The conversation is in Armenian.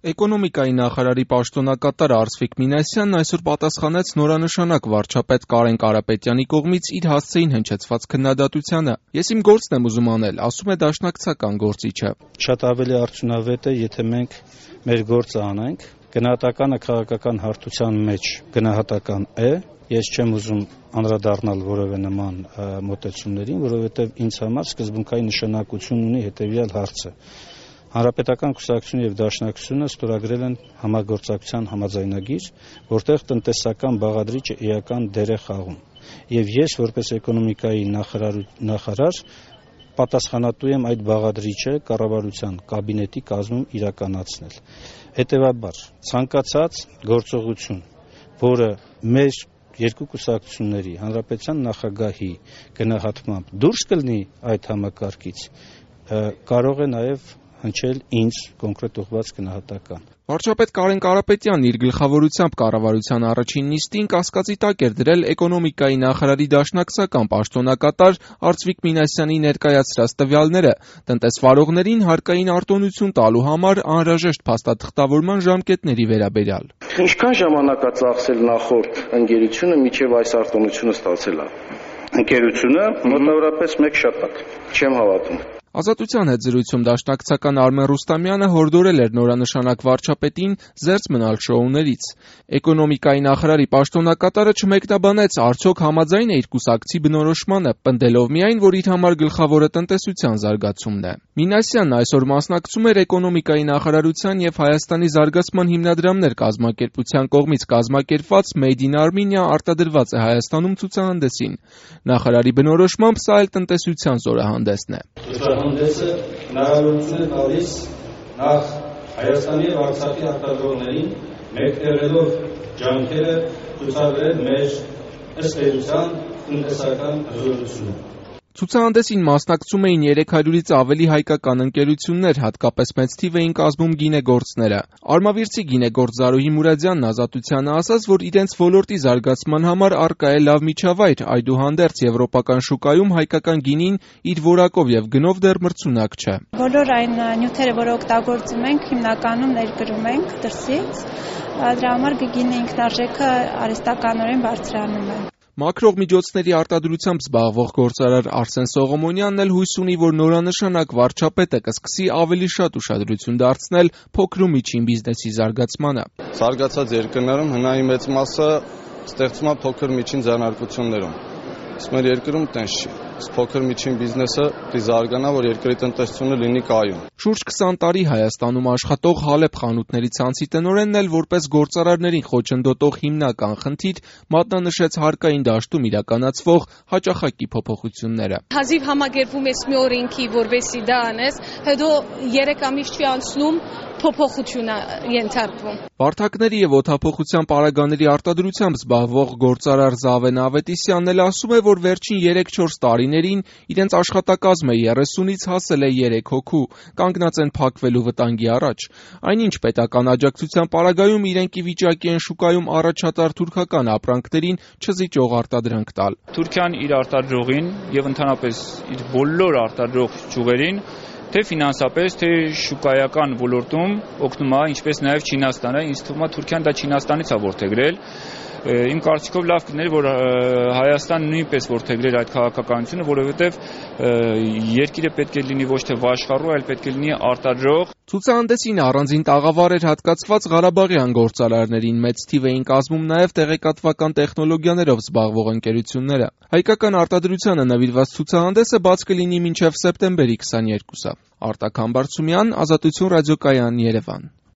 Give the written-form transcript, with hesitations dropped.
Էկոնոմիկայի նախարարի պաշտոնակատար Արծվիկ Մինասյանն այսօր պատասխանեց նորանշանակ վարչապետ Կարեն Կարապետյանի կողմից իր հասցեին հնչեցված քննադատությանը. «Ես իմ գործն եմ ուզում անել», ասում է դաշնակցական գործիչը։ Շատ ավելի արդյունավետ է, եթե մենք մեր գործը անենք։ Գնահատականը քաղաքական հարթության մեջ գնահատական է։ Ես չեմ ուզում անդրադառնալ որևէ նման մոտեցումներին, որովհետև ինձ համար սկզբունքային նշանակություն ունի հետևյալ հարցը. Հանրապետական կուսակցությունը եւ Դաշնակցությունը ստորագրել են համագործակցության համաձայնագիր, որտեղ տնտեսական բաղադրիչը էական դեր է խաղում։ Եվ ես, որպես էկոնոմիկայի նախարար, պատասխանատու եմ այդ բաղադրիչը կառավարության կաբինետի կազմում իրականացնել։ Հետևաբար, ցանկացած գործողություն, որը մեր երկու կուսակցությունների հանրապետության նախագահի գնահատմամբ դուրս կլինի այդ համակարգից, կարող է նաև հնչել ինձ կոնկրետ ուղղված գնահատական։ Վարչապետ Կարեն Կարապետյանն իր գլխավորությամբ կառավարության առաջին նիստին կասկածի տակ էր դրել էկոնոմիկայի նախարարի դաշնակցական պաշտոնակատար Արծվիկ Մինասյանի ներկայացրած տվյալները տնտեսվարողներին հարկային արտոնություն տալու համար անհրաժեշտ փաստաթղթավորման ժամկետների վերաբերյալ։ Ինչքան ժամանակ է ծախսել նախորդ ընկերությունը մինչև այս արտոնությունը ստացել է։ Ընկերությունը մոտավորապես 1 շաբաթ։ Չեմ հավատում։ Ազատության հետ զրույցում դաշնակցական Արմեն Ռուստամյանը հորդորել էր նորանշանակ վարչապետին զերծ մնալ շոուներից։ Էկոնոմիկայի նախարարի պաշտոնակատարը չմեկնաբանեց արդյոք համաձայն է իր կուսակցի բնորոշմանը, պնդելով միայն, որ իր համար գլխավորը տնտեսության զարգացումն է։ Մինասյանն այսօր մասնակցում էր էկոնոմիկայի նախարարության եւ Հայաստանի զարգացման հիմնադրամներ կազմակերպության կողմից կազմակերպված Made in Armenia արտադրված է Հայաստանում ցուցահանդեսին։ Նախարարի բնորոշմամբ սա էլ տնտեսության զորահանդեսն է։ Հանդեսը հնարավորություն է տալիս նախ Հայաստանի և Արցախի արտադրողներին մեկտեղելով ջանքերը ցուցաբերել մեր ըստ էության տնտեսական հզորությունը։ Ցուցահանդեսին մասնակցում էին 300-ից ավելի հայկական ընկերություններ, հատկապես մեծ թիվ էին կազմում գինեգործները։ Արմավիրցի գինեգործ Զարուհի Մուրադյանն Ազատությանը ասաց, որ իրենց ոլորտի զարգացման համար առկա է լավ միջավայր, այդուհանդերձ եվրոպական շուկայում հայկական գինին իր որակով եւ գնով դեռ մրցունակ չէ։ Բոլոր այն նյութերը, որ օգտագործում ենք, հիմնականում ներկրում ենք դրսից, դրա համար գինի ինքնարժեքը արհեստականորեն բարձրանում է։ Մաքրող միջոցների արտադրությամբ զբաղվող գործարար Արսեն Սողոմոնյանն էլ հույս ունի, որ նորանշանակ վարչապետը կսկսի ավելի շատ ուշադրություն դարձնել փոքր ու միջին բիզնեսի զարգացմանը։ Զարգացած երկրներում հնայի մեծ մասը ստեղծվում է փոքր միջին ձեռնարկություններում։ Իսկ մեր երկրում տենց չի։ Փոքր միջին բիզնեսը պետք է զարգանա, որ երկրի տնտեսությունը լինի կայուն։ Շուրջ 20 տարի Հայաստանում աշխատող Հալեբ խանութների ցանցի տնօրենն էլ որպես գործարարներին խոչընդոտող հիմնական խնդիր մատնանշեց հարկային դաշտում իրականացվող հաճախակի փոփոխությունները։ Հազիվ համագերվում ես մի օրենքի, որովհետեւ դա անես, հետո 3 ամիս չի անցնում փոփոխություն ենթարկվում։ Վարդակների եւ օդափոխության պարագաների արտադրությամբ զբաղվող գործարար Զավեն Ավետիսյանն էլ ասում է, որ վերջին 3-4 տարիներին իրենց աշխատակազմը 30-ից հասել է 3 հոգու, կանգնած են փակվելու վտանգի առաջ։ Այնինչ պետական աջակցության պարագայում իրենք ի վիճակի են շուկայում առաջատար թուրքական ապրանքներին չզիջող արտադրանք տալ։ Թուրքիան իր արտադրողին եւ ընդհանրապես իր բոլոր արտադրող ճյուղերին թե ֆինանսապես, թե շուկայական ոլորտում օգնում է, ինչպես նաև Չինաստանը, ինձ թվում է Թուրքիան դա Չինաստանից է որդեգրել։ Իմ կարծիքով լավ կներ, որ Հայաստանը նույնպես որդեգրեր այդ քաղաքականությունը, որովհետև երկիրը պետք է լինի ոչ թե վաշխառու, այլ պետք է լինի արտադրող։ Ցուցահանդեսին առանձին տաղավար էր հատկացված Ղարաբաղյան գործարարներին, մեծ թիվ էին կազմում նաև տեղեկատվական տեխնոլոգիաներով զբաղվող ընկերությունները։ Հայկական արտադրությանը նվիրված ցուցահանդեսը բաց կլինի մինչև սեպտեմբերի 22-ը։ Արտակ Համբարձումյան, Ազատություն ռադիոկայան, Երևան։